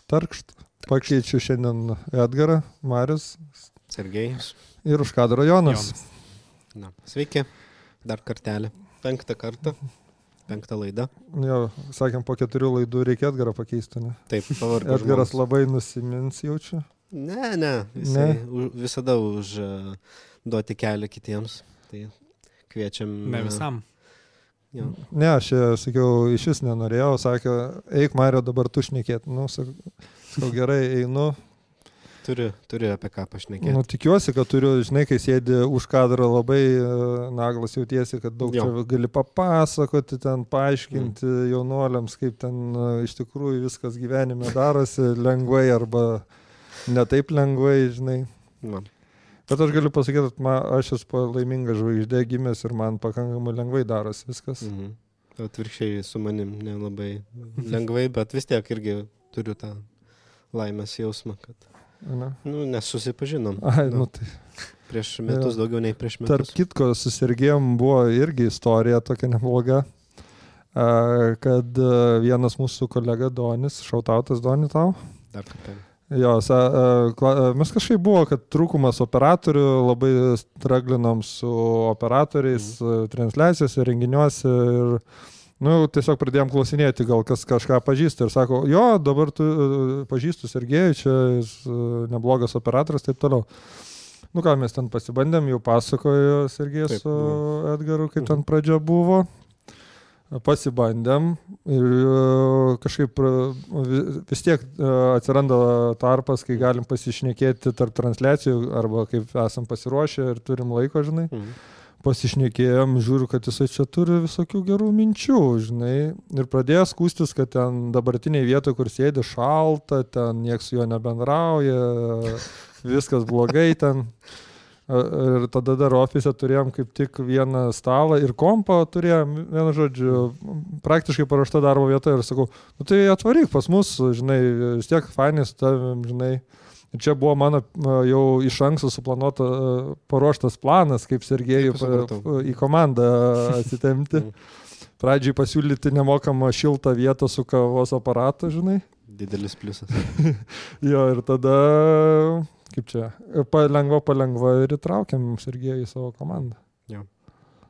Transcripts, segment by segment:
Tarkšt. Pakeičiu šiandien Edgarą, Marius. Sergejus. Ir už kadro Jonas. Na, sveiki. Dar kartelį. 5 kartą. 5 laida. Jo, sakėm, po 4 laidų reikia Edgarą pakeisti, ne? Taip, pavargo Edgaras žmogus. labai nusimins jaučiu. Ne. Jisai visada duoti kelią kitiems. Tai kviečiam. Ne visam. Jo. Ne, aš sakiau, iš vis nenorėjau, sakė, eik Mario dabar tu šnekėt. Nu, sakau, gerai, einu. Turiu apie ką pašnekėti. Nu, tikiuosi, kad turiu, žinai, kai sėdi už kadrą labai naglas jautiesi, kad daug čia gali papasakoti, ten paaiškinti jaunuoliams, kaip ten iš tikrųjų viskas gyvenime darosi lengvai arba ne taip lengvai, žinai. Na. Bet aš galiu pasakyti, kad aš esu laimingas žvaigždė gimęs ir man pakankamai lengvai darosi viskas. Atvirkščiai su manim nelabai lengvai, bet vis tiek irgi turiu tą laimės jausmą, kad nesusipažinom. Tai. Prieš metus, daugiau nei prieš metus. Tarp kitko, su Sergejum buvo irgi istorija tokia nebloga, kad vienas mūsų kolega Donis, šautautas Doni tau. Dar kartą. Jo, mes kažkaip buvo, kad trūkumas operatorių, labai straglinom su operatoriais, transliacijose, renginiuose ir tiesiog pradėjom klausinėti, gal kas kažką pažįsta ir sako, jo, dabar tu pažįstu Sergejų, čia jis neblogas operatorius, taip toliau. Ką mes ten pasibandėm, jau pasakojo Sergejus su Edgaru, kaip ten pradžia buvo. Pasibandėm ir kažkaip vis tiek atsiranda tarpas, kai galim pasišnekėti tarp transliacijų arba kaip esam pasiruošę ir turim laiko, žinai. Pasišnekėjom, žiūriu, kad jisai čia turi visokių gerų minčių, žinai. Ir pradėjo skūstis, kad ten dabartiniai vietoje, kur sėdi šalta, ten nieks su juo nebendrauja, viskas blogai ten. Ir tada dar ofise turėjom kaip tik vieną stalą ir kompą turėjom, vienu žodžiu, praktiškai paruošta darbo vieta ir sakau, tai atvaryk pas mus, žinai, vis tiek fainai su tavim, žinai. Ir čia buvo mano jau iš anksto suplanuota paruoštas planas, kaip Sergejų į komandą atsitemti. Pradžiai pasiūlyti nemokamą šiltą vietą su kavos aparatu, žinai. Didelis pliusas. Jo, ir tada... Kaip čia, palengva ir įtraukiam Sergejų į savo komandą. Jo.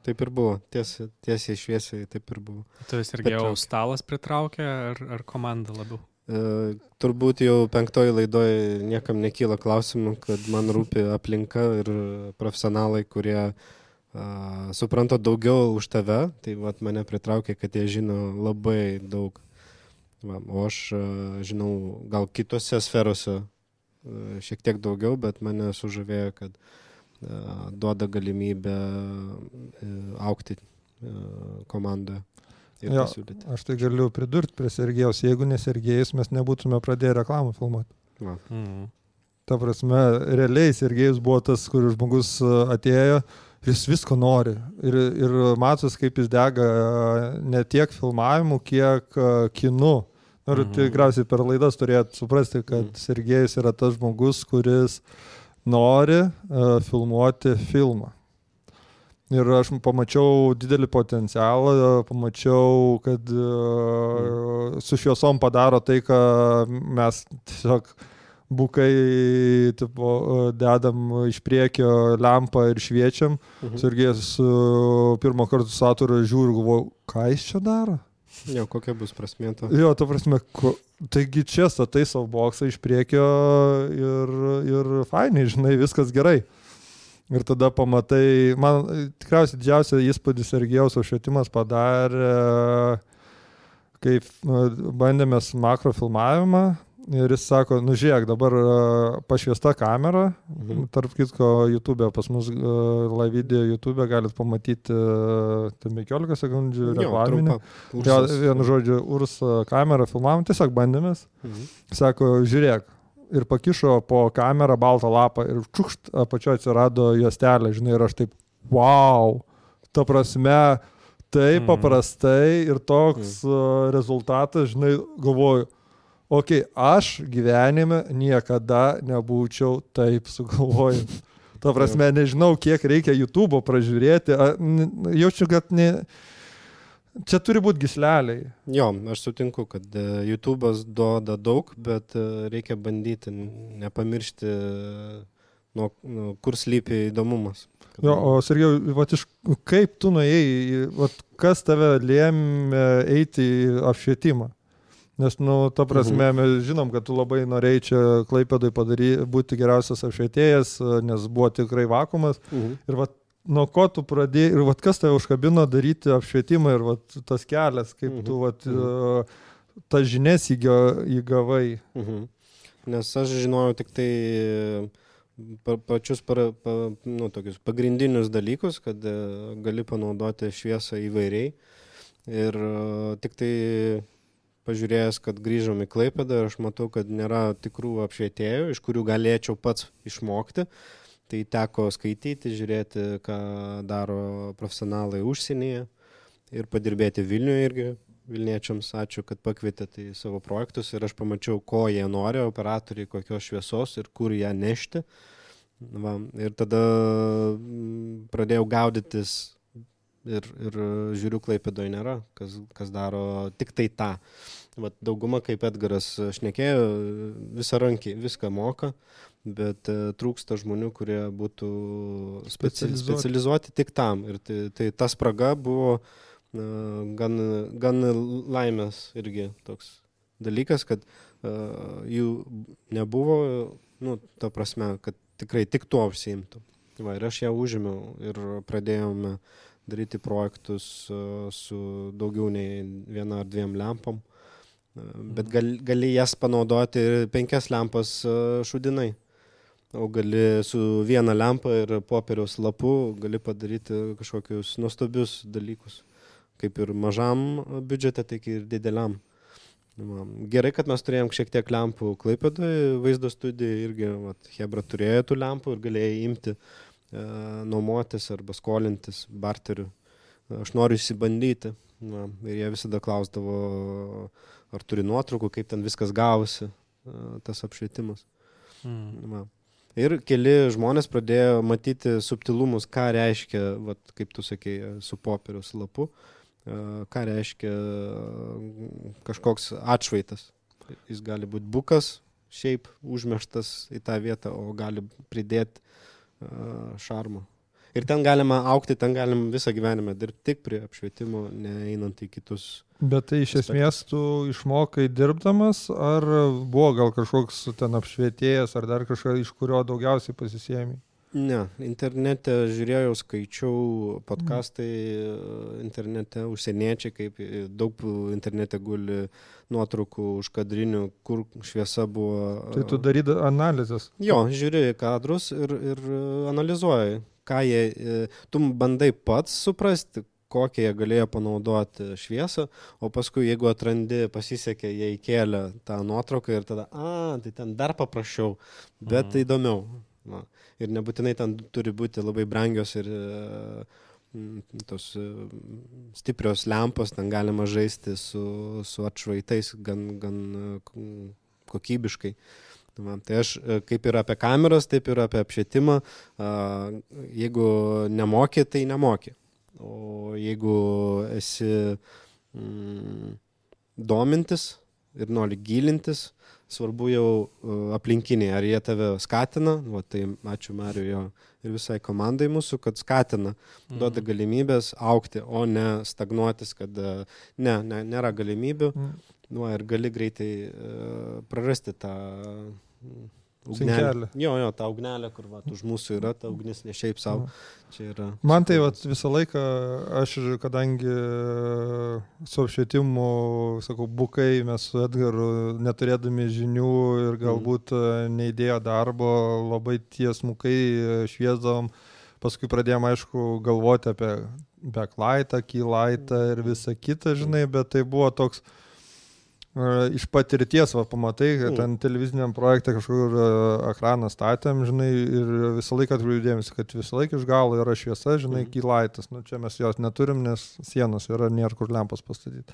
Taip ir buvo, tiesiai šviesiai taip ir buvo. Tu Sergejau stalas pritraukė ar komanda labiau? Turbūt jau 5 laidoje niekam nekyla klausimų, kad man rūpi aplinka ir profesionalai, kurie supranta daugiau už tave. Tai vat mane pritraukė, kad jie žino labai daug. O aš žinau gal kitose sferose šiek tiek daugiau, bet mane sužavėjo, kad duoda galimybę augti komandoje ir pasiūlyti. Aš tai galiu pridurti prie Sergejaus, jeigu ne Sergejus, mes nebūtume pradėję reklamą filmuoti. Ta prasme, realiai Sergejus buvo tas, kur žmogus atėjo, jis visko nori ir matos, kaip jis dega ne tiek filmavimų, kiek kinu. Ir tikriausiai per laidas turėtų suprasti, kad Sergejus yra tas žmogus, kuris nori filmuoti filmą. Ir aš pamačiau didelį potencialą, pamačiau, kad su šviesom padaro tai, ką mes tiesiog bukai dedam iš priekio lempą ir šviečiam. Sergejus pirmą kartą su aturu žiūri ir galvoju, ką jis čia daro? Jo, kokia bus prasmė to? Jo, ta prasme, taigi čia statai savo boksą iš priekio ir fainai, žinai, viskas gerai. Ir tada pamatai, man tikriausiai didžiausia įspūdį Sergejaus apšvietimas padarė, kai bandėmės makrofilmavimą. Ir jis sako, žiūrėk, dabar pašviesta kamera, tarp kitko YouTube, pas mus live video YouTube galit pamatyti 15 sekundžių reklaminį. Vienu žodžiu, URS kamera filmavom, tiesiog bandėmės. Sako, žiūrėk, ir pakišo po kamerą baltą lapą ir čukšt apačioje atsirado juostelė, žinai, ir aš taip, wow, ta prasme, taip paprastai ir toks rezultatas, žinai, galvoju, aš gyvenime niekada nebūčiau taip sugalvojęs. Ta prasme, nežinau, kiek reikia YouTube'o pražiūrėti. Jaučiu, kad čia turi būti gysleliai. Jo, aš sutinku, kad YouTube'as duoda daug, bet reikia bandyti nepamiršti, kur slypi įdomumas. Jo, o Sergejau, kaip tu nuėjai, kas tave lėmė eiti į apšvietimą? Nes, ta prasme, mes žinom, kad tu labai norėjai čia Klaipėdoj būti geriausias apšvietėjas, nes buvo tikrai vakuumas. Ir nuo ko tu pradėjai, ir kas tave užkabino daryti apšvietimą, ir tas kelias, kaip tu tas žinias įgavai. Nes aš žinojau tik tai pačius tokius pagrindinius dalykus, kad gali panaudoti šviesą įvairiai. Ir tik tai pažiūrėjęs, kad grįžom į Klaipėdą ir aš matau, kad nėra tikrų apšvietėjų, iš kurių galėčiau pats išmokti. Tai teko skaityti, žiūrėti, ką daro profesionalai užsienyje ir padirbėti Vilniuje irgi. Vilniečiams ačiū, kad pakvietėte į savo projektus ir aš pamačiau, ko jie nori, operatoriai, kokios šviesos ir kur ją nešti. Ir tada pradėjau gaudytis ir žiūriu, Klaipėdoje nėra, kas daro tik tai tą. Dauguma, kaip Edgaras šnekėjo, viską moka, bet trūksta žmonių, kurie būtų specializuoti tik tam. Ir tai ta spraga buvo gan laimės irgi toks dalykas, kad jų nebuvo, ta prasme, kad tikrai tik tuo užsiimtų. Ir aš ją užėmiau ir pradėjome daryti projektus su daugiau nei 1 ar 2 lempom, bet gali jas panaudoti ir 5 lempas šudinai. O gali su 1 lempa ir popieriaus lapu gali padaryti kažkokius nuostabius dalykus. Kaip ir mažam biudžete, tik ir dideliam. Gerai, kad mes turėjom šiek tiek lempų Klaipėdoje, vaizdo studijai irgi, Hebra turėjo tų lempų ir galėjai imti, nuomotis arba skolintis barteriu. Aš noriu įsibandyti. Ir jie visada klausdavo, ar turi nuotraukų, kaip ten viskas gavosi, tas apšvietimas. Ir keli žmonės pradėjo matyti subtilumus, ką reiškia, kaip tu sakei, su popieriaus lapu, ką reiškia kažkoks atšvaitas. Jis gali būti bukas, šiaip užmeštas į tą vietą, o gali pridėti šarmo. Ir ten galima aukti, ten galim visą gyvenimą dirbti tik prie apšvietimo, neeinant į kitus. Bet tai iš esmės tu išmokai dirbdamas, ar buvo gal kažkoks ten apšvietėjas, ar dar kažkas, iš kurio daugiausiai pasisėmė? Ne, internete žiūrėjau, skaičiau podcastai internete, užsieniečiai, kaip daug internete guli nuotraukų užkadrinių, kur šviesa buvo. Tai tu darydai analizės? Jo, žiūri kadrus ir analizuoji, ką jie, tu bandai pats suprasti, kokią jie galėjo panaudoti šviesą, o paskui, jeigu atrandi, pasisekė, jie įkėlė tą nuotrauką ir tada, tai ten dar paprasčiau, bet įdomiau. Ir nebūtinai ten turi būti labai brangios ir tos stiprios lempos, ten galima žaisti su atšvaitais gan kokybiškai. Tai aš kaip ir apie kameras, taip ir apie apšvietimą, jeigu nemoki, tai nemoki. O jeigu esi domintis ir nori gilintis, svarbu jau aplinkiniai, ar jie tave skatina, tai ačiū Mariui jo ir visai komandai mūsų, kad skatina, duoda galimybės augti, o ne stagnuotis, kad nėra galimybių, ir gali greitai prarasti tą ugnelę. Jo, tą ugnelę, kur už mūsų yra, ta ugnis ne šiaip savo. Čia yra. Man tai visą laiką, aš kadangi su apšvietimu, sakau, bukai, mes su Edgaru neturėdami žinių ir galbūt neįdėjo darbo, labai tiesmukai šviesdavom. Paskui pradėjom, aišku, galvoti apie backlightą, keylightą ir visą kitą, žinai, bet tai buvo toks iš patirties, pamatai, kad ten televiziniam projekte kažkur ekraną statėm, žinai, ir visą laiką atkreipdėmės, kad visą laiką iš galo yra šviesa, žinai, keylightas. Čia mes jos neturim, nes sienos yra, nėra kur lempos pastatyti.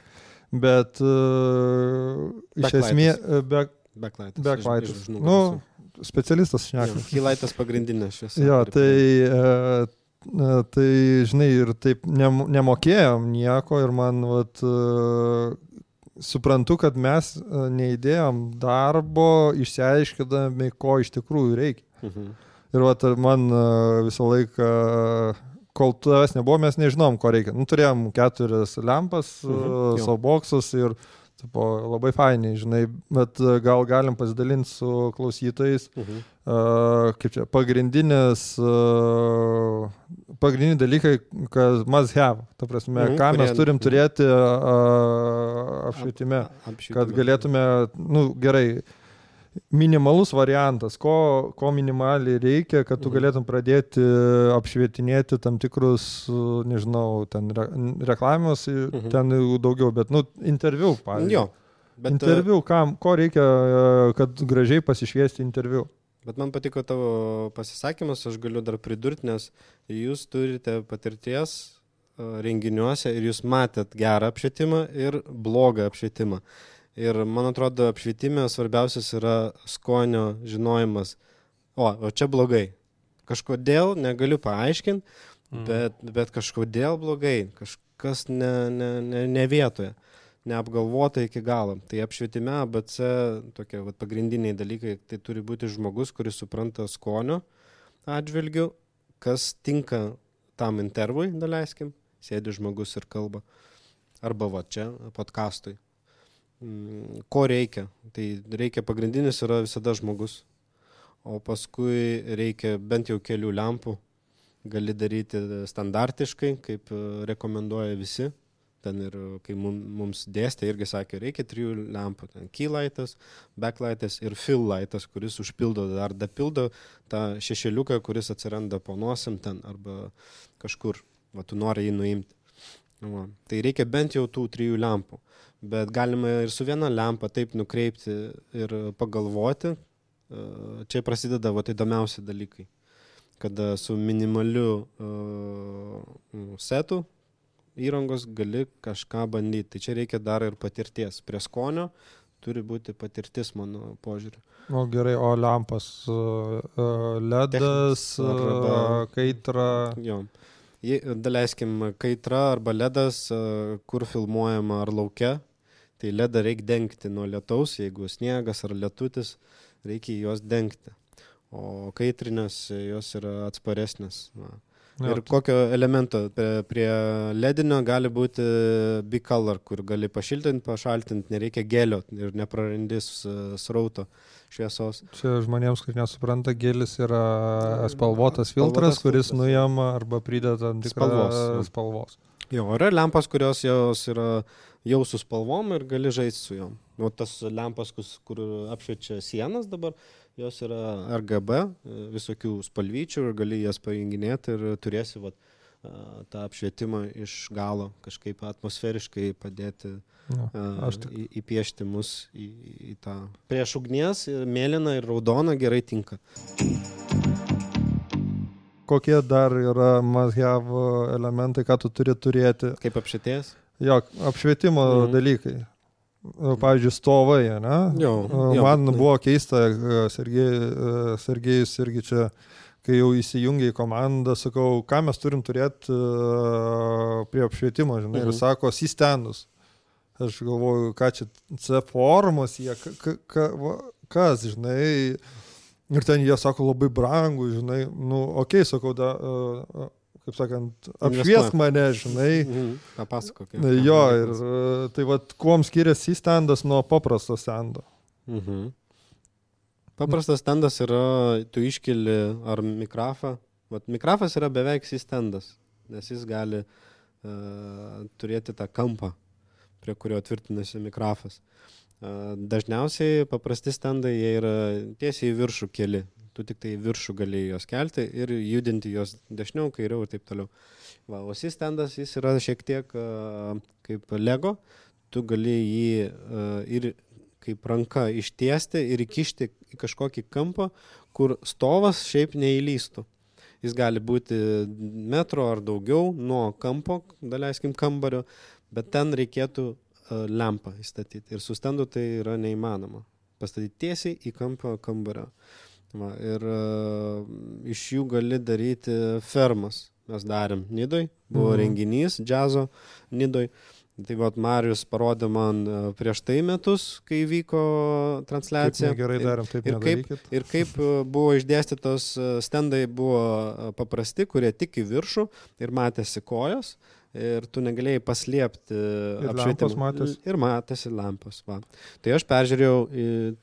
Bet iš esmės backlightas. Specialistas šneka. Keylightas pagrindinė šviesa. Jo, tai tai, žinai, ir taip nemokėjom nieko ir man, vat, suprantu, kad mes neįdėjom darbo, išsiaiškidami, ko iš tikrųjų reikia. Ir vat, man visą laiką, kol tavęs nebuvo, mes nežinom, ko reikia. Nu, turėjom 4 lempas, softboxus ir tipo, labai fainiai, žinai, bet gal galim pasidalinti su klausytojais, kaip čia, pagrindiniai dalykai, kad must have, ta prasme, ką mes turim turėti apšvietime, kad galėtume, nu, gerai, minimalus variantas, ko minimaliai reikia, kad tu galėtum pradėti apšvietinėti tam tikrus, nežinau, ten reklamos, ten daugiau, bet, nu, interviu, pavyzdžiui. Jo. Bet, interviu, ko reikia, kad gražiai pasišviesti interviu. Bet man patiko tavo pasisakymas, aš galiu dar pridurti, nes jūs turite patirties renginiuose ir jūs matėt gerą apšvietimą ir blogą apšvietimą. Ir man atrodo, apšvietime svarbiausias yra skonio žinojimas. O čia blogai. Kažkodėl negaliu paaiškinti, bet kažkodėl blogai. Kažkas ne vietoje. Neapgalvota iki galo. Tai apšvietime ABC tokie pagrindiniai dalykai. Tai turi būti žmogus, kuris supranta skonio atžvilgių, kas tinka tam intervui, daleiskim. Sėdi žmogus ir kalba. Arba va čia podcastui. Ko reikia? Tai reikia pagrindinis yra visada žmogus, o paskui reikia bent jau kelių lempų, gali daryti standartiškai, kaip rekomenduoja visi, ten ir kai mums dėstė irgi sakė, reikia 3 lempų, ten key lightas, backlightas ir fill lightas, kuris užpildo ar dapildo tą šešėliuką, kuris atsiranda po nosim ten arba kažkur, va tu nori jį nuimti. Va. Tai reikia bent jau tų 3 lempų. Bet galima ir su viena lempa taip nukreipti ir pagalvoti. Čia prasideda įdomiausi dalykai. Kada su minimaliu setu įrangos gali kažką bandyti. Tai čia reikia dar ir patirties. Prie skonio turi būti patirtis, mano požiūriu. O gerai, o lempas, LEDas, kaitra. Jo. Daleiskim, kaitra arba LEDas, kur filmuojama ar lauke. Tai ledą reikia dengti nuo lietaus, jeigu sniegas ar lietutis, reikia juos dengti. O kaitrinės jos yra atsparesnės. Ir kokio elemento prie ledinio gali būti bicolor, kur gali pašiltinti, pašaltinti, nereikia gelio ir neprarandys srauto šviesos. Čia žmonėms, kurie nesupranta, gelis yra spalvotas filtras, kuris nuima arba prideda tam tikrą spalvos. Jo, yra lempas, kurios jos yra jau su spalvom ir gali žaisti su jom. O tas lempas, kur apšviečia sienas dabar, jos yra RGB, visokių spalvyčių ir gali jas pajunginėti ir turėsi tą apšvietimą iš galo kažkaip atmosferiškai padėti įpiešti mus į tą. Prieš ugnies mėlyna ir raudona gerai tinka. Kokie dar yra must-have elementai, ką tu turi turėti? Kaip apšvietėjas? Jo, apšvietimo dalykai. Pavyzdžiui, stovai, ne? Man buvo keista, Sergejus irgi čia, kai jau įsijungia į komandą, sakau, ką mes turim turėti prie apšvietimo, žinai, ir sako, C-standus. Aš galvoju, ką čia C-formos, kas, žinai, ir ten jie sako labai brangų, žinai, nu, okei, sakau, kaip sakant, apšviesk mane, žinai. Papasakok. Jo, ir tai kuom skiriasi standas nuo paprasto stando? Paprastas standas yra, tu iškeli ar mikrafą. Mikrafas yra beveik standas, nes jis gali turėti tą kampą, prie kurio tvirtinasi mikrafas. Dažniausiai paprasti standai, jie yra tiesiai į viršų keli. Tu tik tai viršų gali juos kelti ir judinti juos dešiniau, kairiau ir taip toliau. O C-standas, jis yra šiek tiek kaip Lego. Tu gali jį ir kaip ranka ištiesti ir įkišti į kažkokį kampą, kur stovas šiaip neįlystų. Jis gali būti metro ar daugiau nuo kampo, daleiskim kambario, bet ten reikėtų lempą įstatyti. Ir su standu tai yra neįmanoma. Pastatyti tiesiai į kampą kambario. Ir iš jų gali daryti fermas. mes darėm Nidoj, buvo renginys džiazo Nidoj. Tai vat Marijus parodė man prieš tai metus, kai vyko transliacija. Kaip gerai darėm, taip nedarykit. Ir kaip buvo išdėstytos stendai buvo paprasti, kurie tik į viršų ir matėsi kojos. Ir tu negalėjai paslėpti apšvietimą. Ir matėsi lampos. Va. Tai aš peržiūrėjau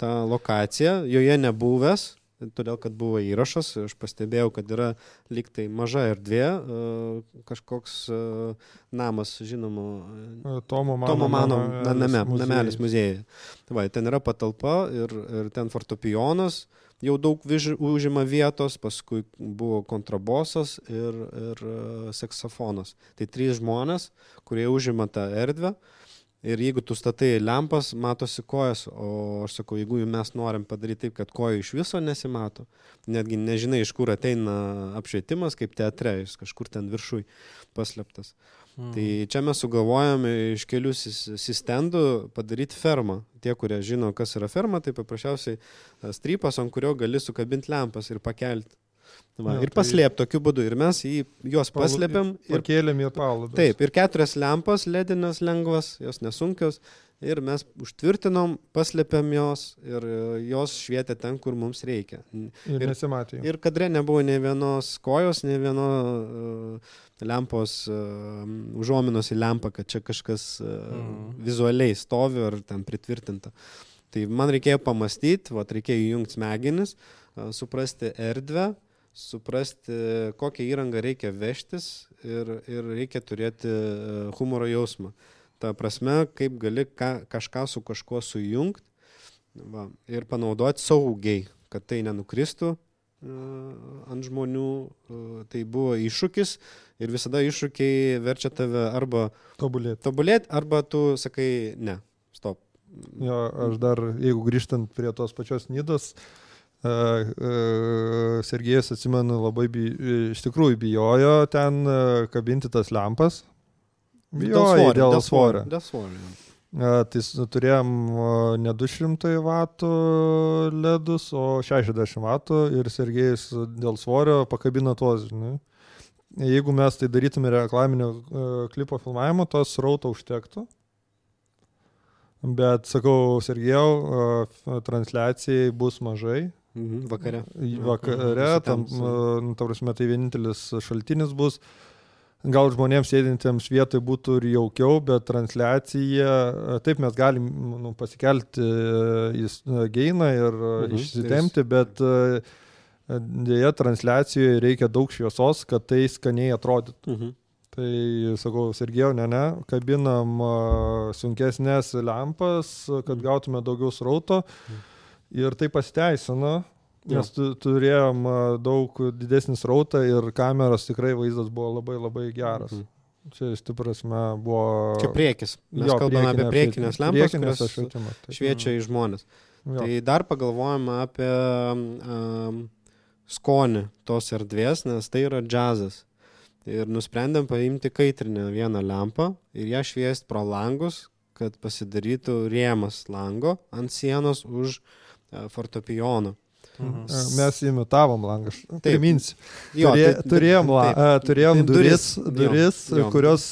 tą lokaciją, joje nebuvęs, todėl, kad buvo įrašas, aš pastebėjau, kad yra lyg tai maža erdvė, kažkoks namas, žinoma, Tomo Mano namelis muziejuje. Va, ten yra patalpa ir ten fortepijonas, jau daug užima vietos, paskui buvo kontrabosas ir saksofonas. Tai 3 žmonės, kurie užima tą erdvę. Ir jeigu tu statai lempas, matosi kojas, o aš sakau, jeigu mes norim padaryti taip, kad kojų iš viso nesimato, netgi nežinai, iš kur ateina apšvietimas, kaip teatre, jis kažkur ten viršui paslėptas. Tai čia mes sugalvojame iš kelių stendų padaryti fermą. Tie, kurie žino, kas yra ferma, tai paprasčiausiai strypas, ant kurio gali sukabinti lempas ir pakelti. Va, ir paslėp tokiu būdu. Ir mes juos paslėpiam. Ir pakėlėm į palubės. Taip, ir 4 lempas, ledinės lengvas, jos nesunkios. Ir mes užtvirtinom, paslėpiam jos ir jos švietė ten, kur mums reikia. Ir nesimatė. Ir kadre nebuvo nei vienos kojos, nei vieno lempos užuominos į lempą, kad čia kažkas vizualiai stovi ar ten pritvirtinta. Tai man reikėjo pamastyti, reikėjo įjungti smegenis, suprasti erdvę, suprasti, kokią įrangą reikia vežtis ir reikia turėti humoro jausmą. Ta prasme, kaip gali kažką su kažkuo sujungti ir panaudoti saugiai, kad tai nenukristų ant žmonių. Tai buvo iššūkis ir visada iššūkiai verčia tave arba tobulėti, arba tu sakai, ne, stop. Jo, aš dar, jeigu grįžtant prie tos pačios Nidos, Sergejus, atsimenu, labai iš tikrųjų bijojo ten kabinti tas lempas. Bijojo dėl svorio. Tai turėjom ne 200 vatų ledus, o 60 vatų ir Sergejus dėl svorio pakabino tuos. Žinai. Jeigu mes tai darytume reklaminio klipo filmavimo, tos srauto užtektų. Bet, sakau, Sergejau, transliacijai bus mažai. Vakare. Tam, ta prasme, tai vienintelis šaltinis bus. Gal žmonėms sėdintiems vietoj būtų ir jaukiau, bet transliacija, taip mes galim pasikelti į geiną ir išsitemti, bet dėja transliacijoje reikia daug šviesos, kad tai skaniai atrodytų. Tai, sakau, Sergejau, ne, kabinam sunkesnės lempas, kad gautume daugiau srauto. Ir tai pasiteisino, nes turėjom daug didesnį srautą ir kameros tikrai vaizdas buvo labai labai geras. Čia iš prasme buvo... Čia priekis. Mes kalbame apie priekinės lempas, kurios šviečia į žmonės. Tai dar pagalvojame apie skonį tos erdvės, nes tai yra džiazas. Ir nusprendėm paimti kaitrinę vieną lempą ir ją šviesti pro langus, kad pasidarytų rėmas lango ant sienos už fortepijono. Mes imitavom langą, priminsiu. Turėjom duris, kurios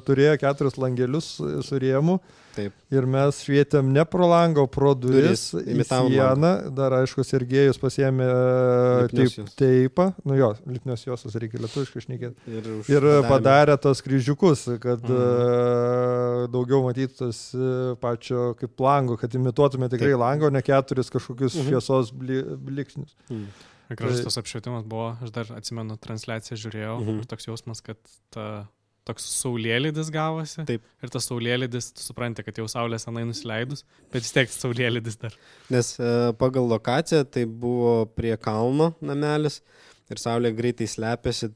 turėjo 4 langelius su rėmu. Taip. Ir mes švietėm ne pro langą, o pro duris į sieną. Dar, aišku, Sergejus pasiėmė teipą. Lipnios juostos reikia lietuviškai šnekėti. Ir padarė tos kryžiukus, kad daugiau matytas pačio kaip lango, kad imituotume tikrai lango, ne 4 kažkokius šviesos bliksnius. Gražus tas apšvietimas buvo, aš dar atsimenu transliaciją žiūrėjau ir toks jausmas, kad toks saulėlydis gavosi. Taip. Ir tas saulėlydis, tu supranti, kad jau saulė senai nusileidus, bet vis tiek saulėlydis dar. Nes pagal lokaciją tai buvo prie kalno namelis ir saulė greitai slepiasi,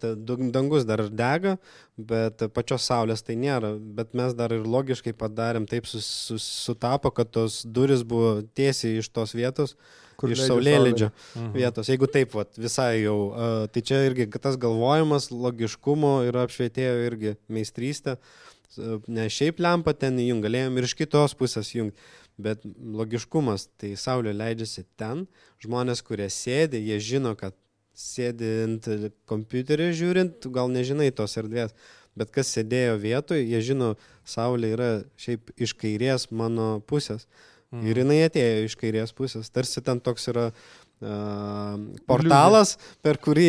dangus dar dega, bet pačios saulės tai nėra. Bet mes dar ir logiškai padarėm, taip sutapo, kad tos duris buvo tiesiai iš tos vietos, iš saulėlydžio vietos. Jeigu taip, visai jau, tai čia irgi tas galvojimas, logiškumo ir apšvietėjo irgi meistrystė. Ne šiaip lempą ten įjung, galėjom ir iš kitos pusės jungti, bet logiškumas, tai saulė leidžiasi ten, žmonės, kurie sėdi, jie žino, kad sėdint kompiuterį žiūrint, tu gal nežinai tos erdvės, bet kas sėdėjo vietoj, jie žino, saulė yra šiaip iš kairės mano pusės. Ir jinai atėjo iš kairės pusės. Tarsi ten toks yra portalas, per kurį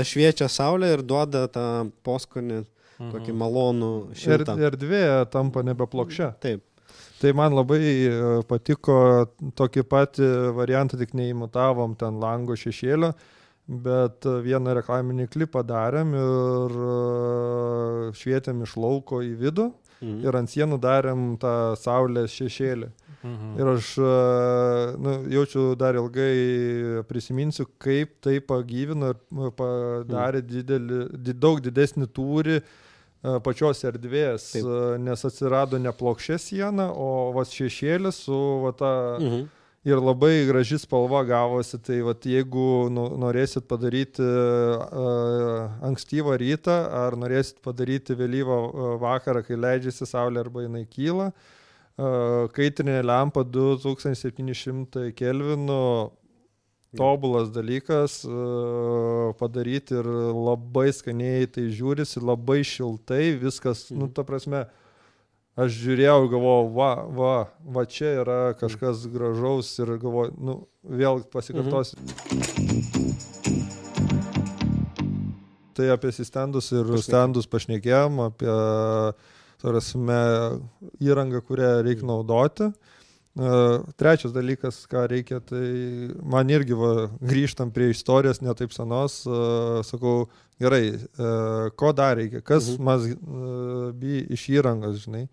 šviečia saulė ir duoda tą poskonį, tokį malonų šiltą. Erdvė tampa nebeplokščia. Taip. Tai man labai patiko tokį patį variantą, tik neimitavom ten lango šešėlio, bet vieną reklaminį klipą darėm ir švietėm iš lauko į vidų ir ant sienų darėm tą saulės šešėlį. Ir aš jaučiu dar ilgai prisiminsiu, kaip tai pagyvino ir padarė daug didesnį tūrį pačios erdvės, nes atsirado ne plokščia siena, o šešėlis su ta ir labai graži spalva gavosi. Tai jeigu norėsit padaryti ankstyvą rytą ar norėsit padaryti vėlyvą vakarą, kai leidžiasi saulė arba jinai kyla, kaitrinė lempa 2700 kelvinų, tobulas dalykas padaryti ir labai skaniai tai žiūrisi, labai šiltai, viskas, ta prasme, aš žiūrėjau ir galvojau, va čia yra kažkas gražaus ir galvojau, vėl pasikartosiu. Tai apie stendus ir stendus pašnekėjom, apie įrangą, kurią reikia naudoti. Trečias dalykas, ką reikia, tai man irgi grįžtam prie istorijos netaip senos, sakau, gerai, ko dar reikia, kas mas iš įrangos, žinai.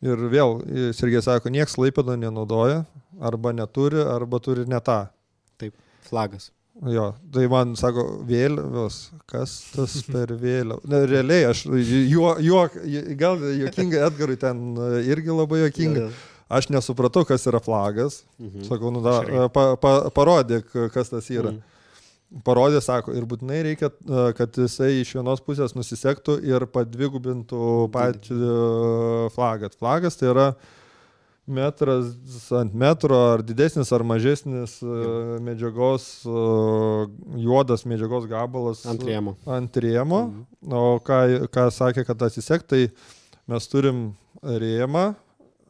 Ir vėl, Sergej sako, nieks Klaipėdoje nenaudoja, arba neturi, arba turi ne tą. Taip, flagas. Jo, tai man sako, vėliavos, kas tas per vėliavą. Realiai, aš gal juokinga Edgarui ten irgi labai juokinga. Aš nesupratau, kas yra flagas. Sakau, parodyk, kas tas yra. Parodė, sako, ir būtinai reikia, kad jisai iš vienos pusės nusisektų ir padvigubintų patį flagą. Flagas tai yra metras ant metro, ar didesnis, ar mažesnis medžiagos, juodas medžiagos gabalas ant rėmo. O ką sakė, kad atsisekt, tai mes turim rėmą,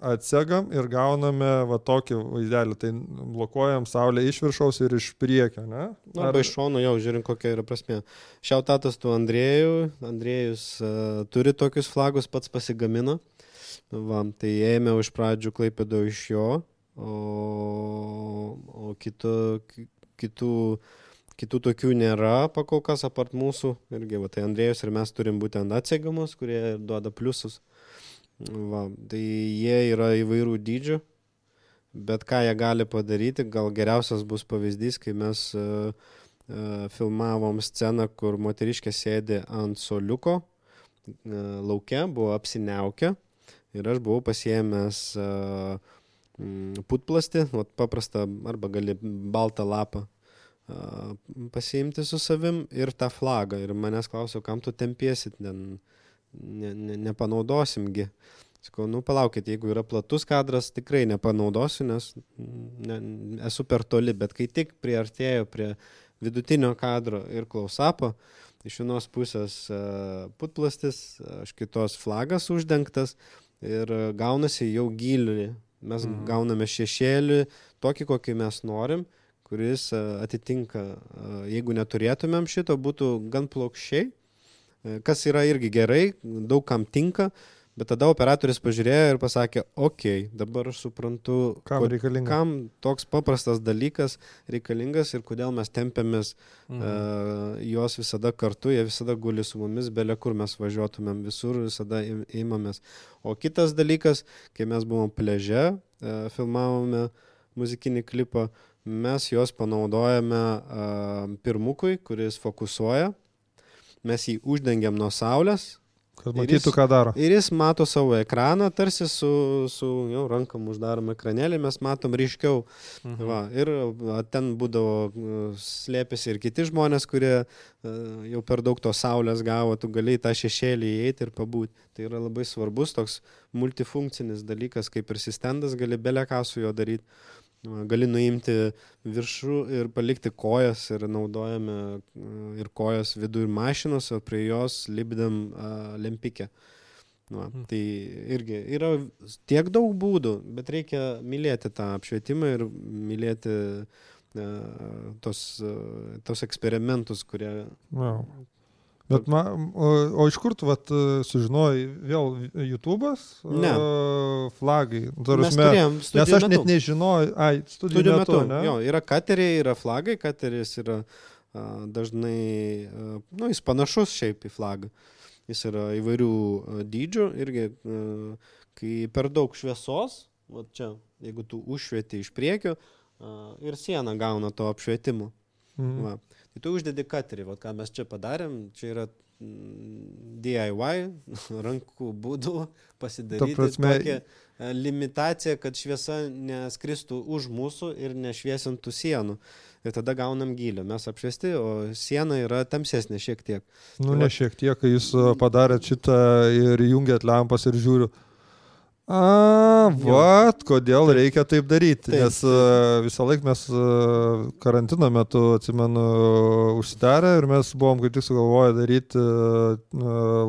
atsegam ir gauname tokį vaizdelį, tai blokuojam saulę iš viršaus ir iš priekio, ne? Arba iš šono, jau žiūrim, kokia yra prasmė. Šiautatas tu Andrėjų, Andrėjus turi tokius flagus, pats pasigamino. Tai ėmiau iš pradžių Klaipėdoje iš jo, o kitų tokių nėra pakol kas apart mūsų. Irgi, tai Andrėjus ir mes turim būtent atsegamus, kurie duoda pliusus. Tai jie yra įvairių dydžių, bet ką jie gali padaryti, gal geriausias bus pavyzdys, kai mes filmavom sceną, kur moteriškė sėdi ant soliuko, lauke, buvo apsiniaukę. Ir aš buvau pasiėmęs putplastį, paprastą arba gali baltą lapą pasiimti su savim ir tą flagą. Ir manęs klausiau, kam tu tempiesit, nepanaudosimgi. Sakau, palaukit, jeigu yra platus kadras, tikrai nepanaudosiu, nes esu per toli, bet kai tik priartėjau prie vidutinio kadro ir close-upo, iš vienos pusės putplastis, iš kitos flagas uždengtas, ir gaunasi jau gilį. Mes gauname šešėlį, tokį, kokį mes norim, kuris atitinka, jeigu neturėtumėm šito, būtų gan plokščiai, kas yra irgi gerai, daug kam tinka, bet tada operatorius pažiūrėjo ir pasakė, dabar aš suprantu, kam toks paprastas dalykas reikalingas ir kodėl mes tempiamės jos visada kartu, jie visada guli su mumis, belia kur mes važiuotumėm, visur visada imamės. O kitas dalykas, kai mes buvom pliaže, filmavome muzikinį klipą, mes juos panaudojame pirmukui, kuris fokusuoja, mes jį uždengiam nuo saulės, kad matytų, ką daro. Ir jis mato savo ekraną, tarsi su rankom uždarom ekranėlį, mes matom ryškiau. Ir ten būdavo slėpėsi ir kiti žmonės, kurie jau per daug to saulės gavo, tu gali į tą šešėlį įeiti ir pabūti. Tai yra labai svarbus toks multifunkcinis dalykas, kaip ir stendas, gali bele ką su juo daryti. Gali nuimti viršų ir palikti kojas ir naudojame ir kojas vidų ir mašinos, o prie jos lipdėm lempikę. Tai irgi yra tiek daug būdų, bet reikia mylėti tą apšvietimą ir mylėti tos eksperimentus, kurie... Bet o iš kur tu sužinojai, vėl YouTube'as? Ne. Flagai. Mes turėjom studijų nes aš metu. net nežinojau, studijų metu, ne? Jo, yra kateriai, yra flagai, kateris yra dažnai, jis panašus šiaip į flagą. Jis yra įvairių dydžių irgi, kai per daug šviesos, va čia, jeigu tu užšvieti iš priekio, ir siena gauna to apšvietimo. Va. Tai tu uždedi katerį, ką mes čia padarėm, čia yra DIY, rankų būdų pasidaryti tokią limitaciją, kad šviesa neskristų už mūsų ir nešviesintų sienų. Ir tada gaunam gylį. Mes apšviesti, o siena yra tamsesnė šiek tiek. Ne šiek tiek, kai jūs padarėt šitą ir jungiat lempas ir žiūriu. Kodėl reikia taip daryti, nes visą laiką mes karantino metu, atsimenu, užsidarę ir mes buvom kaip tik sugalvoję daryti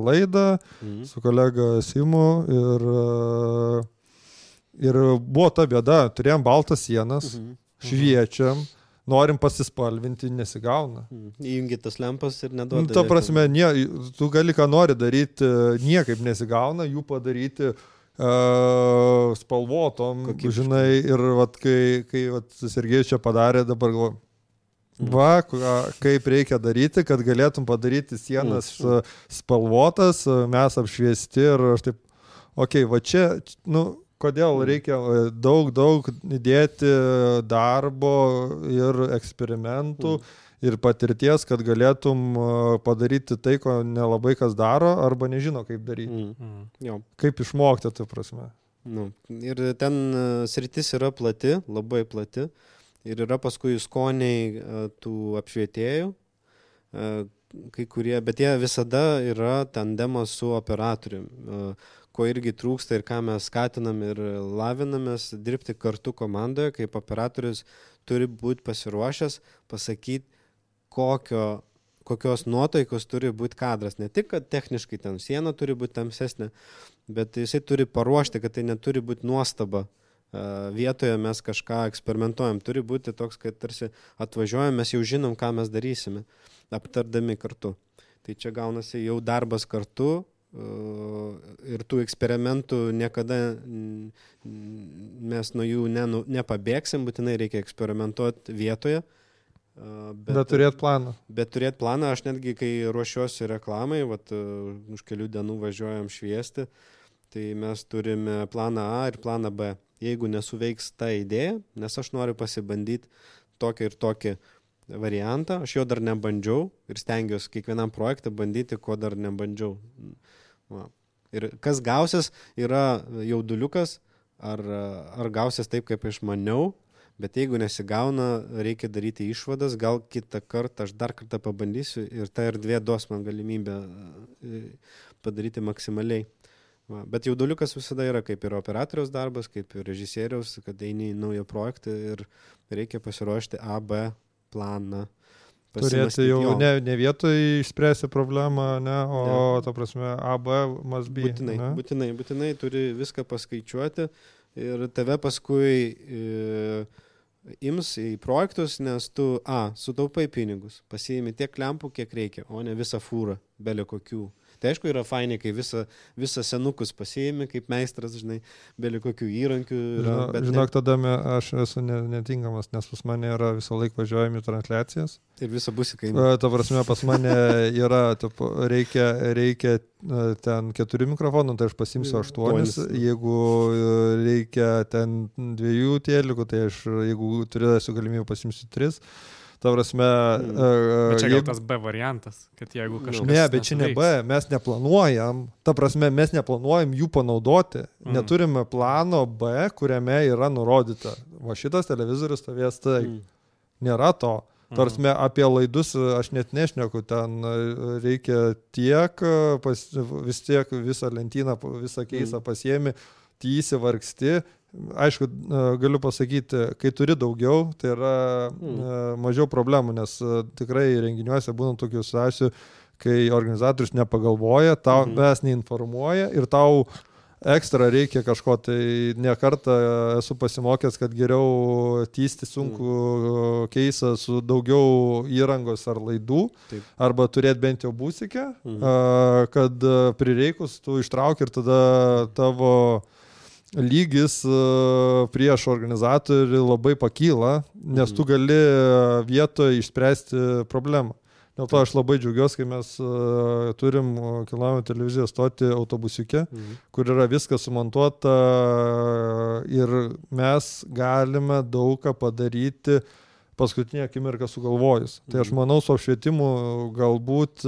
laidą su kolega Simu ir buvo ta bėda, turėjom baltas sienas, šviečiam, norim pasispalvinti, nesigauna. Įjungi tas lempas ir neduoda. Ta prasme, tu gali ką nori daryti, niekaip nesigauna, jų padaryti spalvotom, žinai, ir kai Sergejus čia padarė, dabar galvoju, kaip reikia daryti, kad galėtum padaryti sienas spalvotas, mes apšviesti ir aš taip, va čia, kodėl reikia daug įdėti darbo ir eksperimentų ir patirties, kad galėtum padaryti tai, ko nelabai kas daro, arba nežino, kaip daryti. Kaip išmokti, tai prasme. Ir ten sritis yra plati, labai plati. Ir yra paskui skoniai tų apšvietėjų, kai kurie, bet jie visada yra tandemas su operatoriumi, ko irgi trūksta ir ką mes skatinam ir lavinamės dirbti kartu komandoje, kaip operatorius turi būti pasiruošęs pasakyti, kokios nuotaikos turi būti kadras. Ne tik, kad techniškai ten siena turi būti tamsesnė, bet jisai turi paruošti, kad tai neturi būti nuostaba. Vietoje mes kažką eksperimentuojam. Turi būti toks, kad tarsi atvažiuojam, mes jau žinom, ką mes darysime, aptardami kartu. Tai čia gaunasi jau darbas kartu ir tų eksperimentų niekada mes nuo jų nepabėgsim, būtinai reikia eksperimentuoti vietoje. Bet turėt planą. Bet turėt planą, aš netgi, kai ruošiuosi reklamai, už kelių dienų važiuojam šviesti, tai mes turime planą A ir planą B. Jeigu nesuveiks ta idėja, nes aš noriu pasibandyti tokį ir tokį variantą, aš jo dar nebandžiau ir stengiuosi kiekvienam projektą bandyti, ko dar nebandžiau. Ir kas gausis, yra jauduliukas, ar gausis taip, kaip aš maniau, bet jeigu nesigauna, reikia daryti išvadas, gal kitą kartą aš dar kartą pabandysiu ir ta erdvė duos man galimybę padaryti maksimaliai. Bet jauduliukas visada yra kaip ir operatoriaus darbas, kaip ir režisieriaus, kad eini į naują projektą ir reikia pasiruošti A, B planą. Turėti jau ne vietoj išspręsti problemą, ta prasme A, B must be. Būtinai turi viską paskaičiuoti ir tave paskui ims į projektus, nes tu sutaupai pinigus, pasiimi tiek lempų, kiek reikia, o ne visą fūrą, belio kokių. Tai aišku yra fainai, kai visą senukus pasiimi, kaip meistras, žinai, belio kokių įrankių. Žinok, tada aš esu netinkamas, nes pas mane yra visą laiką važiuojami transliacijas. Ir visą busį kainuoja. Ta prasme, pas mane yra, reikia ten 4 mikrofonų, tai aš pasimsiu 8. Jeigu reikia ten 2 tėlikų, tai aš, jeigu turėsiu galimybę, pasimsiu 3. Ta prasme... Bet čia gal tas B variantas, kad jeigu kažkas... Ne, bet čia ne B, mes neplanuojam. Ta prasme, mes neplanuojam jų panaudoti. Neturime plano B, kuriame yra nurodyta. Va šitas televizorius stovės tai. Nėra to. Ta prasme, apie laidus aš net nešneku. Ten reikia tiek, vis tiek visą lentyną, visą keisą pasiemi, įsivargsti, aišku, galiu pasakyti, kai turi daugiau, tai yra mažiau problemų, nes tikrai renginiuose būna tokių situacijų, kai organizatorius nepagalvoja, tau mes neinformuoja ir tau ekstra reikia kažko, tai ne kartą esu pasimokęs, kad geriau tysti sunku keisą su daugiau įrangos ar laidų, arba turėti bent jau būsikę, kad prireikus tu ištrauki ir tada tavo lygis prieš organizatorių labai pakyla, nes tu gali vietoje išspręsti problemą. Dėl to aš labai džiaugiuosi, kai mes turim Kilnojamo televizijos stotį autobusiuke, kur yra viskas sumontuota ir mes galime daugą padaryti paskutinę akimirką sugalvojus. Tai aš manau, su apšvietimu galbūt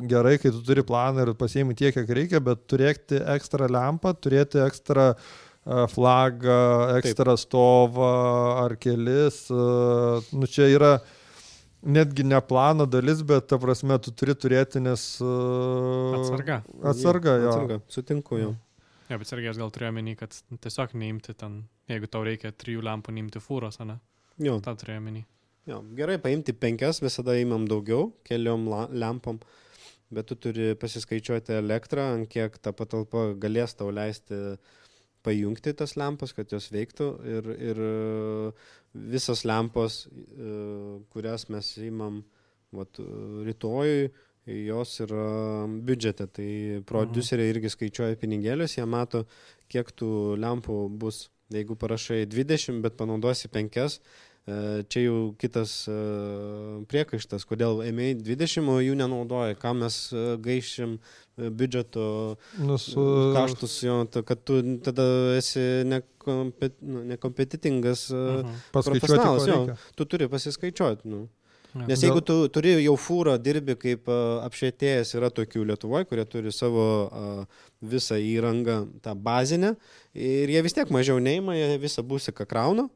gerai, kai tu turi planą ir pasiimi tiek, kiek reikia, bet turėti ekstra lempą, turėti ekstra flagą, ekstra stovą ar kelis, čia yra netgi ne plano dalis, bet ta prasme tu turi turėti, nes... Atsarga, jo. Atsarga, sutinku jau. Ja, bet Sergejus gal turėjo menį, kad tiesiog neimti ten, jeigu tau reikia 3 lempų, neimti fūros, ne? Jo. Ta turėjo menį. Jo, gerai, paimti 5, visada įmam daugiau, keliom lempom, bet tu turi pasiskaičiuoti elektrą, ant kiek ta patalpa galės tau leisti pajungti tas lempas, kad jos veiktų ir visos lempos, kurias mes įmam rytojui, jos yra biudžete. Tai produceriai irgi skaičiuoja pinigėlius, jie mato, kiek tų lempų bus. Jeigu parašai 20, bet panaudosi 5, čia jau kitas priekaištas, kodėl ėmėjai 20, o jų nenaudoja, ką mes gaišim biudžeto kaštus, jo, kad tu tada esi nekompetitingas profesionalas, jo, tu turi pasiskaičiuoti. Nes jeigu tu turi jau fūrą, dirbi kaip apšvietėjas, yra tokių Lietuvoje, kurie turi savo visą įrangą, tą bazinę, ir jie vis tiek mažiau neima, jie visą būsiką krauna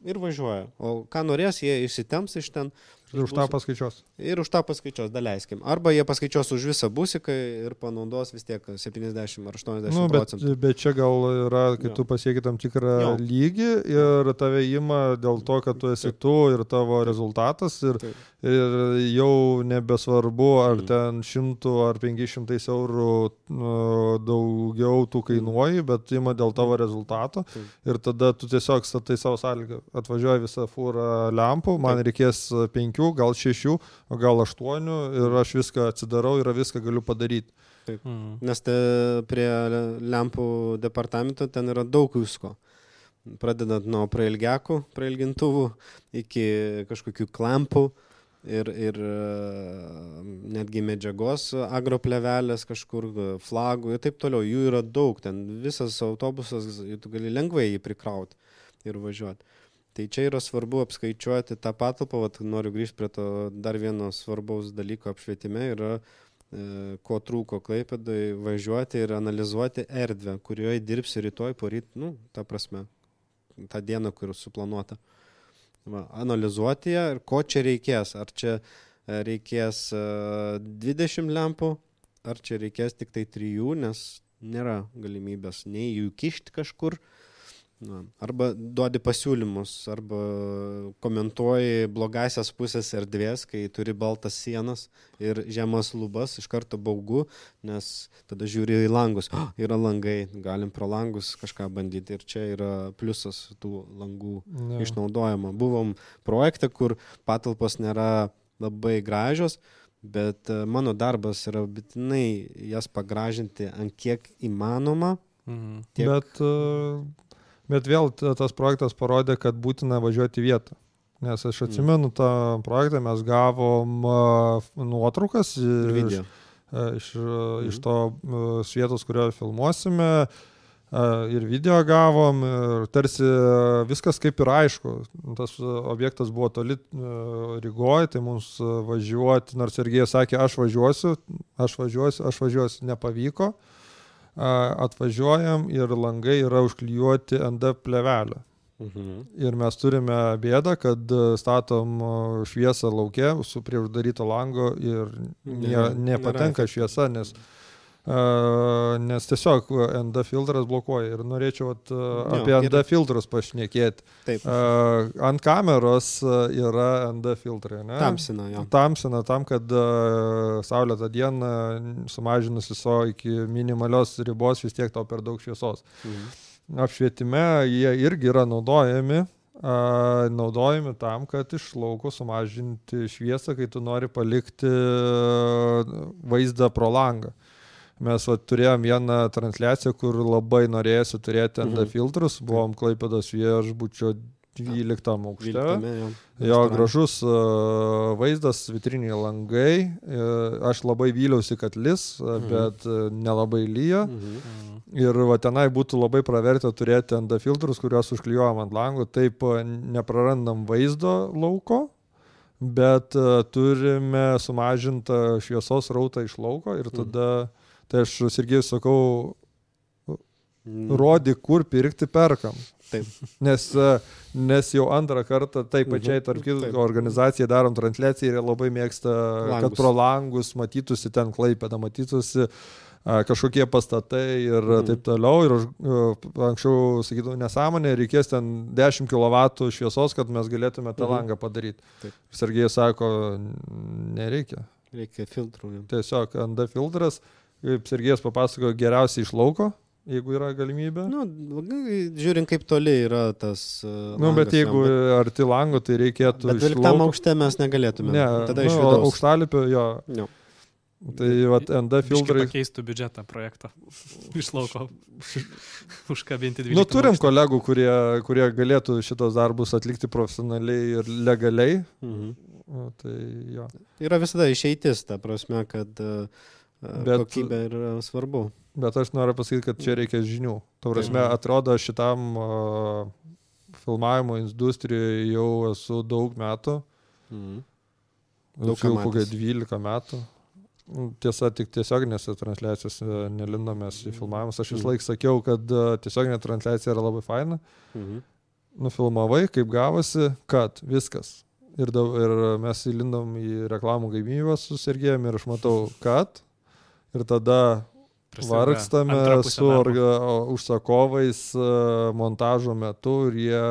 ir važiuoja. O ką norės, jie išsitemps iš ten. Ir už tą paskaičios. Ir už tą paskaičios, daleiskim. Arba jie paskaičios už visą būsiką ir panaudos vis tiek 70 ar 80 procentų. Bet čia gal yra, kai tu pasieki tam tikrą lygį ir tave ima dėl to, kad tu esi tu ir tavo rezultatas ir jau nebesvarbu, ar ten 100 ar 500 eurų daugiau tu kainuoji, bet ima dėl tavo rezultato ir tada tu tiesiog statai savo sąlygą. Atvažiuoja visą fūrą lempų, man reikės 5, gal 6, o gal 8 ir aš viską atsidarau ir viską galiu padaryti. Taip. Nes prie lempų departamento ten yra daug visko. Pradedant nuo prailgintuvų iki kažkokių klampų ir netgi medžiagos, agroplevelės kažkur, flagų ir taip toliau. Jų yra daug, ten visas autobusas, tu gali lengvai jį prikrauti ir važiuoti. Tai čia yra svarbu apskaičiuoti tą patalpą, noriu grįžti prie to dar vieno svarbaus dalyko apšvietime, yra ko trūko Klaipėdai, važiuoti ir analizuoti erdvę, kurioje dirbsi rytoj, poryt, ta prasme, tą dieną, kur suplanuota. Analizuoti ją ir ko čia reikės, ar čia reikės 20 lempų, ar čia reikės tik tai 3, nes nėra galimybės nei jų kišti kažkur, arba duodi pasiūlymus, arba komentuoji blogasias pusės erdvės, kai turi baltas sienas ir žemas lubas, iš karto baugu, nes tada žiūri į langus, yra langai, galim pro langus kažką bandyti ir čia yra pliusas tų langų išnaudojimo. Buvom projekte, kur patalpos nėra labai gražios, bet mano darbas yra būtinai jas pagražinti ant kiek įmanoma. Bet vėl tas projektas parodė, kad būtina važiuoti į vietą. Nes aš atsimenu tą projektą, mes gavom nuotraukas iš to vietos, kurioje filmuosime, ir video gavom, ir tarsi viskas kaip ir aišku. Tas objektas buvo toli Rygoje, tai mums važiuoti, nors Sergejus sakė, aš važiuosiu, nepavyko. Atvažiuojam ir langai yra užklijuoti ND plevelę. Ir mes turime bėdą, kad statom šviesą lauke su prie uždaryto lango ir nepatenka šviesa, nes Nes tiesiog ND filtras blokuoja ir norėčiau apie ND filtrus pašnekėti. Taip. Ant kameros yra ND filtrai, ne? Tamsina, jo. Tamsina tam, kad saulėtą dieną sumažinus viso iki minimalios ribos vis tiek tau per daug šviesos. Apšvietime jie irgi yra naudojami tam, kad iš lauko sumažinti šviesą, kai tu nori palikti vaizdą pro langą. Mes turėjom vieną transliaciją, kur labai norėjusi turėti ND filtrus, buvom Klaipėdos viešbučio 12 aukšte. Jo, gražus vaizdas, vitriniai langai. Aš labai vyliausi, kad lis, bet nelabai lyja. Ir tenai būtų labai pravertę turėti ND filtrus, kuriuos užklijuojam ant langų. Taip neprarandam vaizdo lauko, bet turime sumažintą šviesos rautą iš lauko ir tada, tai aš Sergejui sakau, rodyk, kur pirkti, perkam. Taip. Nes jau antrą kartą taip pačiai tarp kitų organizacijai darom transliaciją ir jie labai mėgsta, kad pro langus matytųsi ten Klaipėda, matytųsi kažkokie pastatai ir taip toliau. Ir anksčiau sakydavau, nesąmonė, reikės ten 10 kW šviesos, kad mes galėtume tą langą padaryti. Sergejus sako, nereikia. Reikia filtrų. Tiesiog ND filtras, kaip Sergejus papasakojo, geriausiai iš lauko, jeigu yra galimybė. Žiūrint, kaip toli yra tas langas. Bet jeigu arti lango, tai reikėtų iš lauko. Bet 12 aukšte mes negalėtume. Ne, tada iš vidaus. Aukštalipio, jo. Tai ND filtrai... Pakeistų biudžetą projekto iš lauko. Užkabinti 12 turim kolegų, kurie galėtų šitos darbus atlikti profesionaliai ir legaliai. Tai jo. Yra visada išeitis, ta prasme, kad kokybė yra svarbu. Bet aš noriu pasakyti, kad čia reikia žinių. Ta prasme, atrodo, šitam filmavimo industrijoje jau esu daug metų. Daug kokia 12 metų. Tiesa, tik tiesioginėse transliacijose nelindomės į filmavimus. Aš vis laik sakiau, kad tiesioginė transliacija yra labai faina. Nufilmavai, kaip gavosi, kad viskas. Ir mes įlindom į reklamų gamybą su Sergejumi ir aš matau, kad. Ir tada vargstame su užsakovais montažo metu ir jie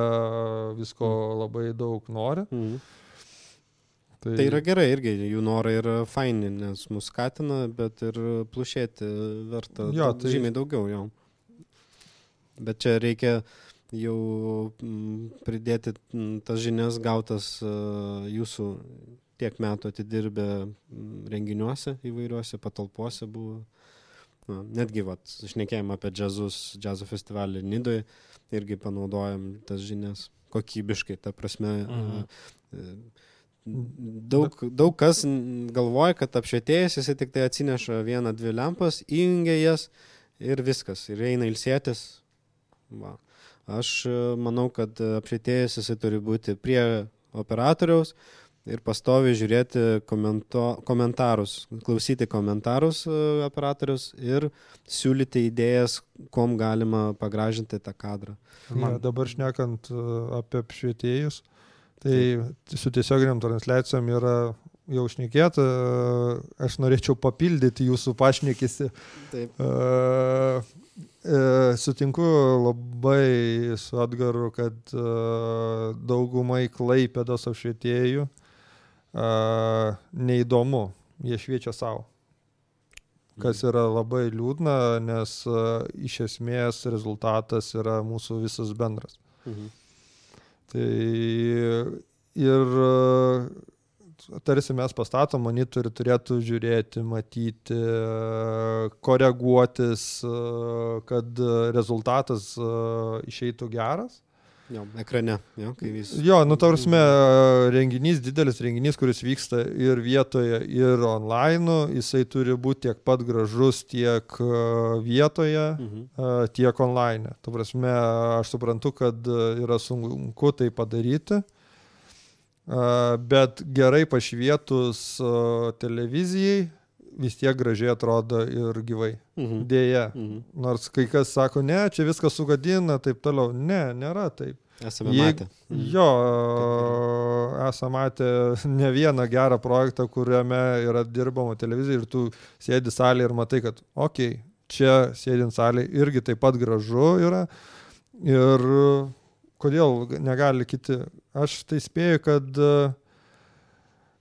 visko labai daug nori. Tai yra gerai irgi, jų norai yra faini, nes mus skatina, bet ir plušėti verta žymiai daugiau jau. Bet čia reikia jau pridėti tas žinias gautas jūsų tiek metų atidirbę renginiuose įvairiuose patalpose buvo. Netgi šnekėjom apie džiazo festivalį Nidoje, irgi panaudojam tas žinias kokybiškai, ta prasme. Daug kas galvoja, kad apšvietėjas jisai tik tai atsineša 1-2 lempas, įjungia jas ir viskas, ir eina ilsėtis. Aš manau, kad apšvietėjas jisai turi būti prie operatoriaus ir pastoviai žiūrėti komentarus, klausyti komentarus operatorius ir siūlyti idėjas, kom galima pagražinti tą kadrą. Dabar šnekant apie apšvietėjus, tai su tiesioginiam transliacijom yra jau šnekėta, aš norėčiau papildyti jūsų pašnekėsi. Taip. Sutinku labai su Edgaru, kad daugumai Klaipėdos apšvietėjų neįdomu, jie šviečia savo. Kas yra labai liūdna, nes iš esmės rezultatas yra mūsų visas bendras. Tai ir tarsi mes pastatom monitorių, turėtų žiūrėti, matyti, koreguotis, kad rezultatas išeitų geras. Jo, ekrane, kai vis... Jo, ta prasme, renginys, didelis renginys, kuris vyksta ir vietoje, ir online, jisai turi būti tiek pat gražus tiek vietoje, tiek online. Ta prasme, aš suprantu, kad yra sunku tai padaryti, bet gerai pašvietus televizijai vis tiek gražiai atrodo ir gyvai. Dėja. Nors kai kas sako, ne, čia viskas sugadina, taip toliau. Ne, nėra taip. Esame matę. Jo, esame matę ne vieną gerą projektą, kuriame yra dirbama televizija ir tu sėdi salėje ir matai, kad čia sėdint salėje irgi taip pat gražu yra ir kodėl negali kiti. Aš tai spėju, kad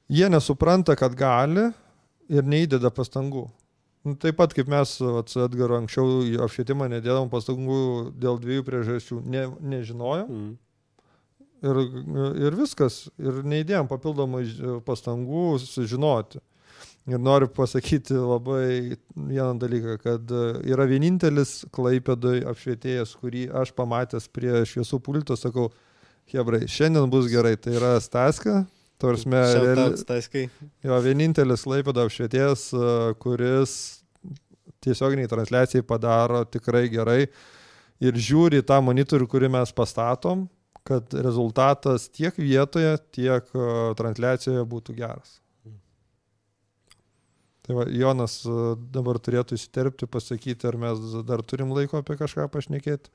jie nesupranta, kad gali ir neįdeda pastangų. Taip pat kaip mes su Edgaru anksčiau apšvietimą nedėdam pastangų dėl 2 priežasčių. Nežinojo ir viskas. Ir neįdėjom papildomai pastangų sužinoti. Ir noriu pasakyti labai vieną dalyką, kad yra vienintelis Klaipėdoje apšvietėjas, kurį aš pamatęs prie šviesų pulto, sakau, hebrai, šiandien bus gerai. Tai yra Staska. Jo, vienintelis Klaipėdo apšvietėjas, kuris tiesioginiai transliacijai padaro tikrai gerai ir žiūri tą monitorių, kurį mes pastatom, kad rezultatas tiek vietoje, tiek transliacijoje būtų geras. Tai va, Jonas dabar turėtų įsiterpti, pasakyti, ar mes dar turim laiko apie kažką pašnekėti.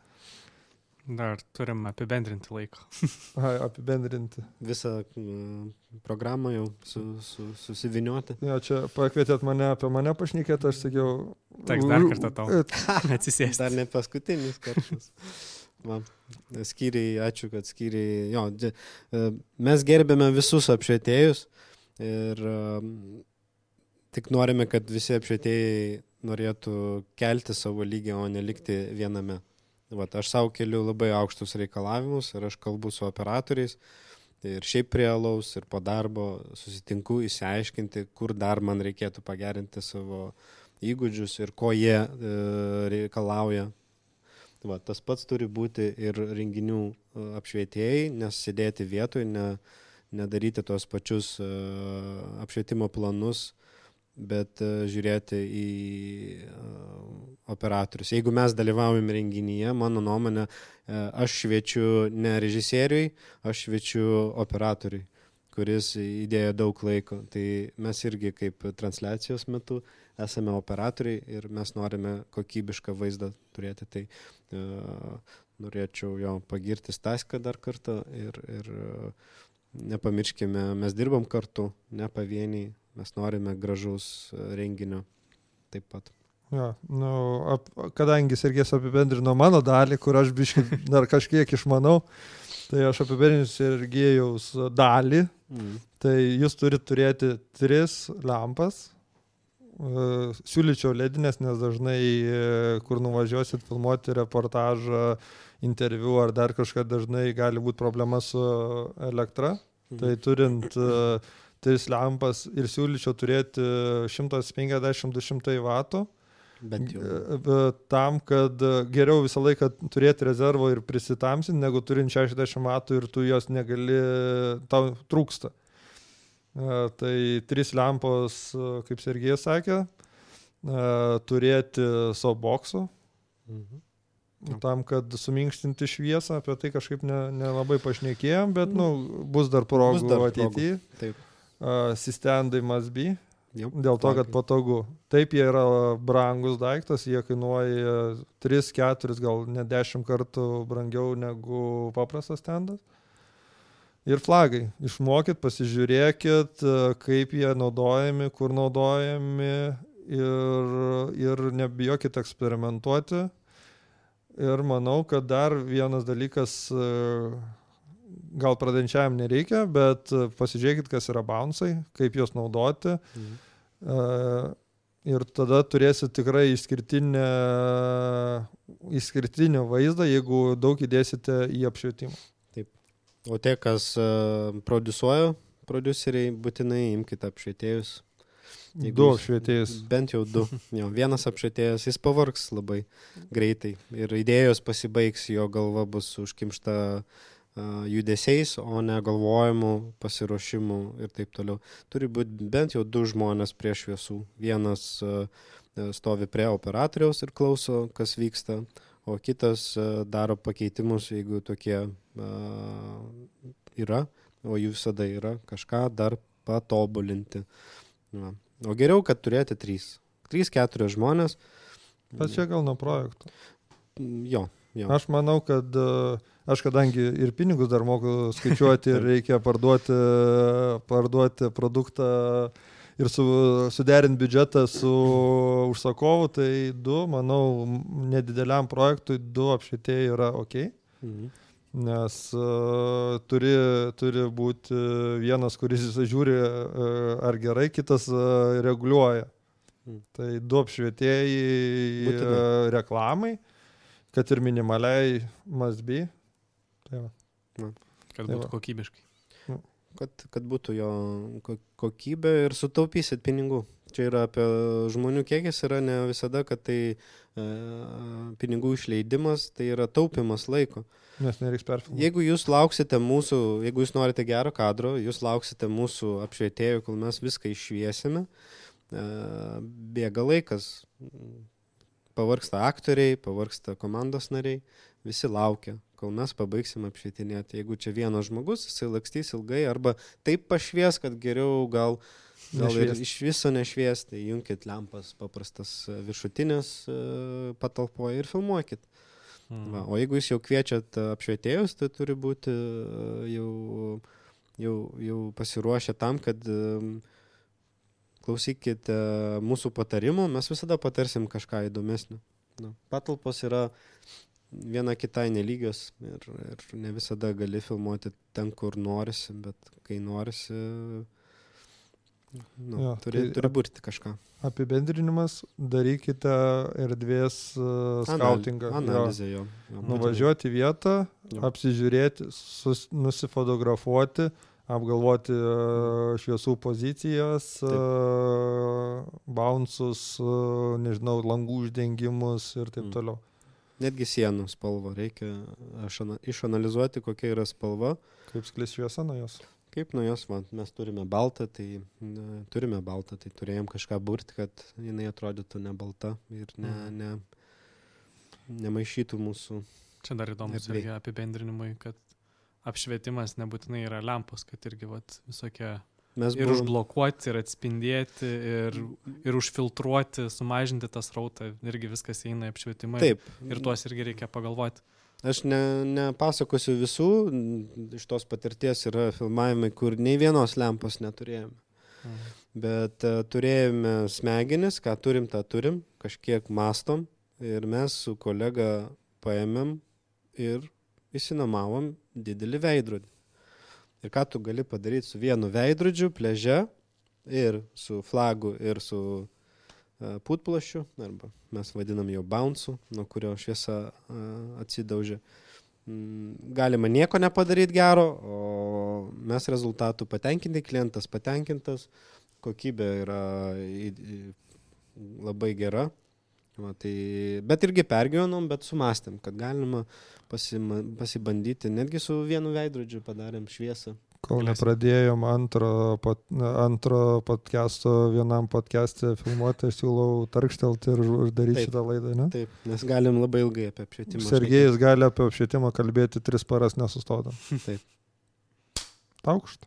Dar turim apibendrinti laiko. Apibendrinti. Visą programą jau susiviniuoti. Jo, čia pakvietėt mane apie mane pašnekėti, aš sakiau... Teks dar kartą tau atsisėsti. Dar ne paskutinis kartas. Skyriai, ačiū, kad skyriai... Jo, mes gerbėme visus apšvietėjus ir tik norime, kad visi apšvietėjai norėtų kelti savo lygį, o nelikti viename. Aš savo keliu labai aukštus reikalavimus ir aš kalbu su operatoriais ir šiaip prie alaus ir po darbo susitinku įsiaiškinti, kur dar man reikėtų pagerinti savo įgūdžius ir ko jie reikalauja. Tas pats turi būti ir renginių apšvietėjai, nes sėdėti vietoj, nedaryti tos pačius apšvietimo planus, bet žiūrėti į operatorius. Jeigu mes dalyvaujam renginyje, mano nuomonė, aš šviečiu ne režisieriui, aš šviečiu operatoriui, kuris įdėjo daug laiko. Tai mes irgi kaip transliacijos metu esame operatoriai ir mes norime kokybišką vaizdą turėti. Tai norėčiau jo pagirti Staską dar kartą ir nepamirškime, mes dirbam kartu, ne pavieniai. Mes norime gražaus renginio taip pat. Ja, kadangi Sergejus apibendrino mano dalį, kur aš biškai dar kažkiek išmanau, tai aš apibendrinsiu Sergejaus dalį. Tai jūs turite turėti 3 lampas. Siūlyčiau ledinės, nes dažnai, kur nuvažiuosit filmuoti reportažą, interviu ar dar kažką, dažnai gali būti problema su elektra. Tai turint 3 lampas ir siūlyčiau turėti 150-200 vatų. Tam, kad geriau visą laiką turėti rezervo ir prisitamsinti, negu turint 60 vatų ir tu jos negali, tau trūksta. Tai 3 lampos, kaip Sergejus sakė, turėti softboxų. Tam, kad suminkštinti šviesą, apie tai kažkaip nelabai pašnekėjom, bet bus dar progų ateityje. Taip. Sistendai must be, dėl to, kad patogu. Taip, jie yra brangus daiktas, jie kainuoja 3-4, gal net 10 kartų brangiau negu paprastas standas. Ir flagai. Išmokit, pasižiūrėkit, kaip jie naudojami, kur naudojami ir nebijokit eksperimentuoti. Ir manau, kad dar vienas dalykas, gal pradedančiajam nereikia, bet pasižiūrėkit, kas yra bounce'ai, kaip juos naudoti. Ir tada turėsit tikrai išskirtinį vaizdą, jeigu daug įdėsite į apšvietimą. Taip. O tie, kas prodiuseriai, būtinai imkite apšvietėjus. 2 apšvietėjus. Bent jau 2. Vienas apšvietėjas, jis pavargs labai greitai. Ir idėjos pasibaigs, jo galva bus užkimšta judesiais, o ne galvojimu, pasiruošimu ir taip toliau. Turi būti bent jau 2 žmonės prie šviesų. Vienas stovi prie operatoriaus ir klauso, kas vyksta, o kitas daro pakeitimus, jeigu tokie yra, o jų visada yra, kažką dar patobulinti. O geriau, kad turėti 3-4 žmonės. Bet čia gal nuo projekto. Jo, Jo. Aš manau, kad aš kadangi ir pinigus dar moku skaičiuoti ir reikia parduoti produktą ir suderinti biudžetą su užsakovu, tai manau, nedideliam projektui 2 apšvietėjai yra ok. Nes turi būti vienas, kuris žiūri ar gerai, kitas reguliuoja. Tai 2 apšvietėjai reklamai, kad ir minimaliai must be. Tai va. Kad būtų kokybiškai. Kad būtų jo kokybė ir sutaupysit pinigų. Čia yra apie žmonių kiekis, yra ne visada, kad tai pinigų išleidimas, tai yra taupimas laiko. Nes nereiks perfilmuoti. Jeigu jūs lauksite mūsų, jeigu jūs norite gero kadro, jūs lauksite mūsų apšvietėjų, kol mes viską iššviesime, bėga laikas. Pavargsta aktoriai, pavargsta komandos nariai, visi laukia, kol mes pabaigsim apšvietinėti. Jeigu čia vienas žmogus, jisai lakstys ilgai arba taip pašvies, kad geriau gal ir iš viso nešviesti, junkit lempas paprastas viršutinės patalpoje ir filmuokit. Va, o jeigu jūs jau kviečiat apšvietėjus, tai turi būti jau pasiruošę tam, kad klausykite mūsų patarimų, mes visada patarsim kažką įdomesnio. Patalpos yra viena kitai nelygios ir ne visada gali filmuoti ten, kur norisi, bet kai norisi, turi būti kažką. Apibendrinimas, darykite erdvės skautingą. Analizę jo. Nuvažiuoti į vietą, apsižiūrėti, nusifotografuoti, apgalvoti šviesų pozicijas, bounces, nežinau, langų uždengimus ir taip toliau. Netgi sienų spalvą reikia išanalizuoti, kokia yra spalva. Kaip sklis šviesa nuo jos. Kaip nuo jos, mes turime baltą, tai turėjom kažką burti, kad jinai atrodytų ne balta ir nemaišytų mūsų. Čia dar įdomus irgi apibendrinimui, kad apšvietimas nebūtinai yra lempos, kad irgi visokie ir užblokuoti, ir atspindėti, ir užfiltruoti, sumažinti tą srautą, irgi viskas eina į apšvietimą. Taip. Ir tuos irgi reikia pagalvoti. Aš nepasakosiu visų, iš tos patirties yra filmavimai, kur nei vienos lempos neturėjome. Bet turėjome smegenis, ką turim, tą turim, kažkiek mastom ir mes su kolega paėmėm ir įsinuomavom didelį veidrodį. Ir ką tu gali padaryti su vienu veidrodžiu, pliaže ir su flagu ir su putplašiu, arba mes vadinam jau bounce'u, nuo kurio šviesa atsidaužia. Galima nieko nepadaryti gero, o mes rezultatų patenkinti, klientas patenkintas, kokybė yra labai gera. Bet irgi pergyvenom, bet sumastėm, kad galima pasibandyti, netgi su vienu veidrodžiu padarėm šviesą. Kol nepradėjom antro podcast'o vienam podcast'e filmuoti, aš siūlau tarkštelti ir daryti šitą laidą, ne? Taip, nes galim labai ilgai apie apšvietimą. Sergejus gali apie apšvietimą kalbėti 3 paras nesustodam. Taip. Taukšt.